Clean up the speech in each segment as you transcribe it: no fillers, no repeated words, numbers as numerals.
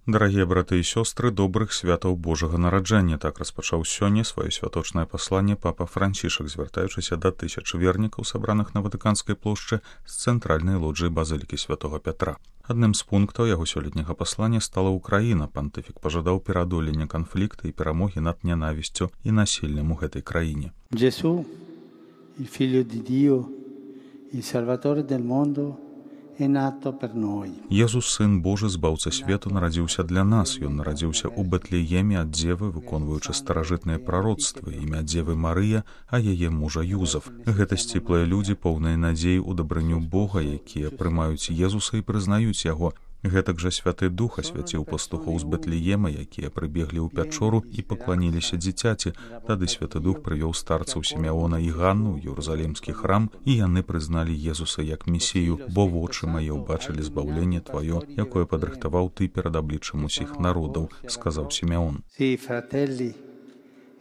Дарагія браты і сёстры, добрых святаў Божага нараджэння. Так распачаў сёння сваё святочнае пасланне папа Францішак, звяртаючыся да тысячы вернікаў, сабраных на Ватыканскай плошчы з цэнтральнай лоджыі базылікі святога Пятра. Адным з пунктаў яго сёлетняга паслання стала Украіна. Пантыфік пажадаў пераадолення канфлікта і перамогі над нянавісцю і насіллем у гэтай краіне. Gesù, il figlio di Dio, il Salvatore del mondo, Езус, сын Божы, збаўца свету, нарадзіўся для нас. Ён нарадзіўся ў Бэтлееме ад дзевы, выконваючы старажытныя прароцтвы, імя дзевы Марыя, а яе мужа Юзаф. Гэта сціплыя людзі, поўныя надзеі ў дабрыню Бога, якія прымаюць Езуса і прызнаюць яго. Гэтак жа Святы Дух асвяціў пастухоў з Бэтлеема, якія прыбеглі ў пячору і пакланіліся дзіцяці. Тады Святы Дух прывёў старцаў Сімеона і Ганну ў Єрусалімскі храм, і яны прызналі Езуса як Месію, бо вочы мае ўбачылі збаўленне тваё, якое падрыхтаваў ты перад абліччам усіх народаў, сказаў Сімеон. Sí, fratelli,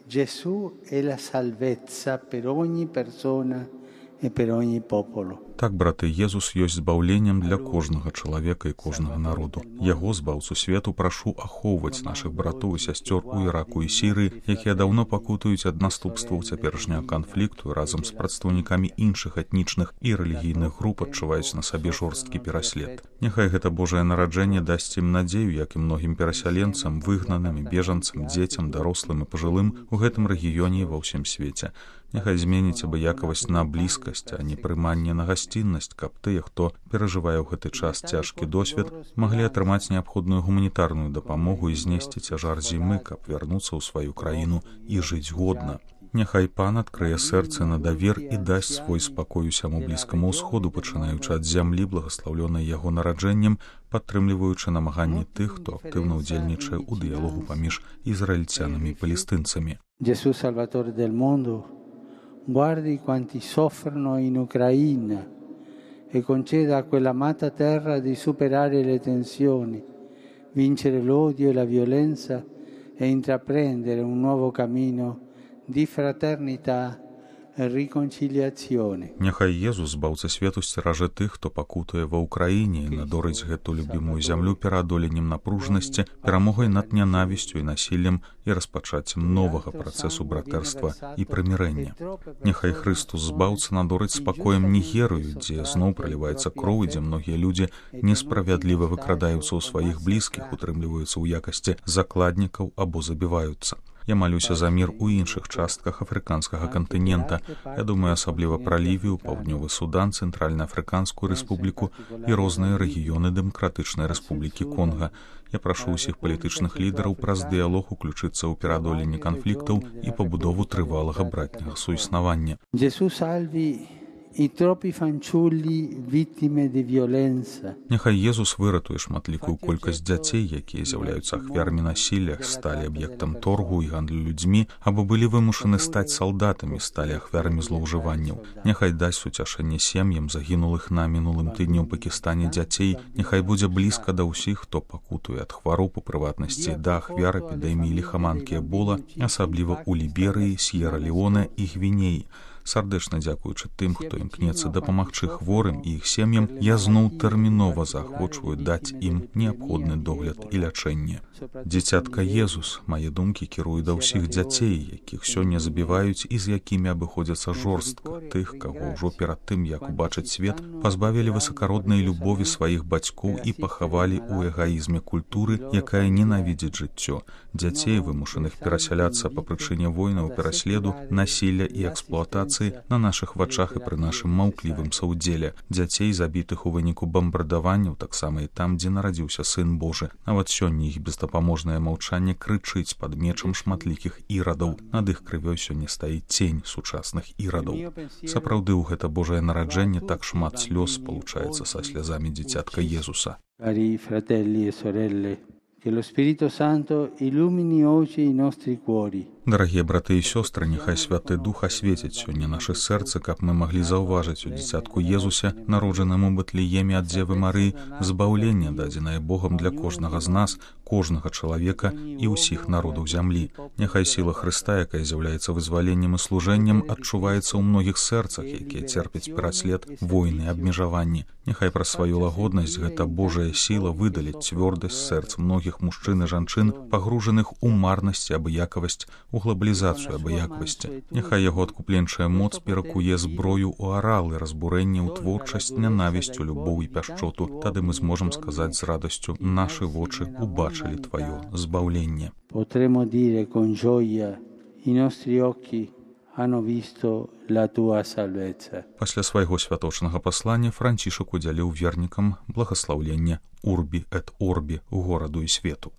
Gesù è la salvezza per ogni persona e per ogni popolo. Так, браты, Езус ёсць збаўленнем для кожнага чалавека і кожнага народу. Яго, збаўцу свету, прашу ахоўваць нашых братоў і сясцёр у Іраку і Сірыі, якія даўно пакутаюць ад наступстваў цяперашняга канфлікту і разам з прадстаўнікамі іншых этнічных і рэлігійных груп адчуваюць на сабе жорсткі пераслед. Няхай гэта Божае нараджэнне дасць ім надзею, як і многім перасяленцам, выгнаным і бежанцам, дзецям, дарослым і пажылым у гэтым рэгіёне і ва ўсім свеце. Няхай зменіць абыякавасць на блізкасць, а не прыманне на гасціннасць, каб тыя, хто перажывае ў гэты час цяжкі досвед, маглі атрымаць неабходную гуманітарную дапамогу і знесці цяжар зімы, каб вярнуцца ў сваю краіну і жыць годна. Няхай Пан адкрые сэрцы на давер і дасць свой спакой усяму блізкаму ўсходу, пачынаючы ад зямлі, благаслаўлёнай яго нараджэннем, падтрымліваючы намаганні тых, хто актыўна ўдзельнічае ў дыялогу паміж ізраільцянамі і палестынцамі. Gesù, Salvatore del mondo, guardi quanti soffrono in Ucraina e conceda a quella amata terra di superare le tensioni, vincere l'odio e la violenza e intraprendere un nuovo cammino di fraternità e riconciliazione. Няхай Езус, збаўца свету, сцеражэ тых, хто пакутуе ва Ўкраіне, і надорыць гэту любімую зямлю пераадоленнем напружнасці, перамогай над нянавісцю і насіллем і распачаццем новага працэсу братэрства і прымірэння. Няхай Хрыстус, збаўца, надорыць спакоем Нігерыю, дзе зноў праліваецца кроў, дзе многія людзі несправядліва выкрадаюцца ў сваіх блізкіх, утрымліваюцца ў якасці закладнікаў або забіваюцца. Я малюся за мір у іншых частках афрыканскага кантынента. Я думаю асабліва пра Лівію, Паўднёвы Судан, Цэнтральна-Афрыканскую рэспубліку і розныя рэгіёны Дэмакратычнай рэспублікі Конга. Я прашу ўсіх палітычных лідараў праз дыялог уключыцца ў пераадоленне канфліктаў і пабудову трывалага братняга суіснавання. Gesù salvi i troppi fanciulli vittime di violenza. Няхай Езус выратуе шматлікую колькасць дзяцей, якія з'яўляюцца ахвярамі насілля, сталі аб'ектам торгу і гандлю людзьмі, або былі вымушаны стаць салдатамі, сталі ахвярамі злоўжыванняў. Няхай дасць суцяшэнне сем'ям загінулых на мінулым тыдні ў Пакістане дзяцей. Няхай будзе блізка да ўсіх, хто пакутуе ад хвароб, у прыватнасці да ахвяр эпідэміі ліхаманкі Эбола, асабліва ў Ліберыі, С'ера-Леоне і Гвінеі. Сардэчна дзякуючы тым, хто імкнецца дапамагчы хворым і іх сем'ям, я зноў тэрмінова заахвочваю даць ім неабходны догляд і лячэнне. Дзіцятка Езус, мае думкі кіруе да ўсіх дзяцей, якіх сёння забіваюць і з якімі абыходзяцца жорстка, тых, каго ўжо перад тым, як убачыць свет, пазбавілі высакароднай любові сваіх бацькоў і пахавалі ў эгаізме культуры, якая ненавідзіць жыццё, дзяцей, вымушаных перасяляцца па прычыне войнаў, пераследу, насілля і эксплуатацыі на нашых вачах і пры нашым маўклівым саўдзеле, дзяцей, забітых у выніку бамбардаванняў, таксама і там, дзе нарадзіўся сын Божы. Нават сёння іх бездапаможнае маўчанне крычыць пад мечам шматлікіх ірадаў. Над іх крывёй сёння стаіць цень сучасных ірадаў. Сапраўды, у гэта Божае нараджэнне так шмат слёз спалучаецца са слязамі дзіцятка Езуса. Cari fratelli e sorelle, che lo Spirito Santo illumini oggi i nostri cuori Дарагія браты і сёстры, няхай святы дух асветіць сёння нашы сэрцы, каб мы маглі заўважыць у дзіцятку Езусе, народжаным у Бэтлееме ад Дзевы Марыі, збаўленне, дадзенае Богам для кожнага з нас, кожнага чалавека і ўсіх народаў зямлі. Няхай сіла Хрыста, якая з'яўляецца вызваленнем і служэннем, адчуваецца ў многіх сэрцах, якія церпяць пераслед, войны, абмежаванні. Няхай праз сваю лагоднасць гэта Божая сіла выдаліць цвёрдасць сэрц многіх мужчын і жанчын, пагружаных у марнасць і абыякавасць, у глобалізацыю абыякавасці. Няхай яго адкупленчая моц перакуе зброю ў аралы, разбурэнне ў творчасць, нянавісцю, любоў і пяшчоту. Тады мы зможам сказаць з радасцю: нашы вочы убачылі тваё збаўленне. Potremo dire con gioia: i nostri occhi hanno visto la tua salvezza. Пасля свайго святочнага паслання Францішак удзяліў вернікам благаслаўленне Урбі эт Орбі, гораду і свету.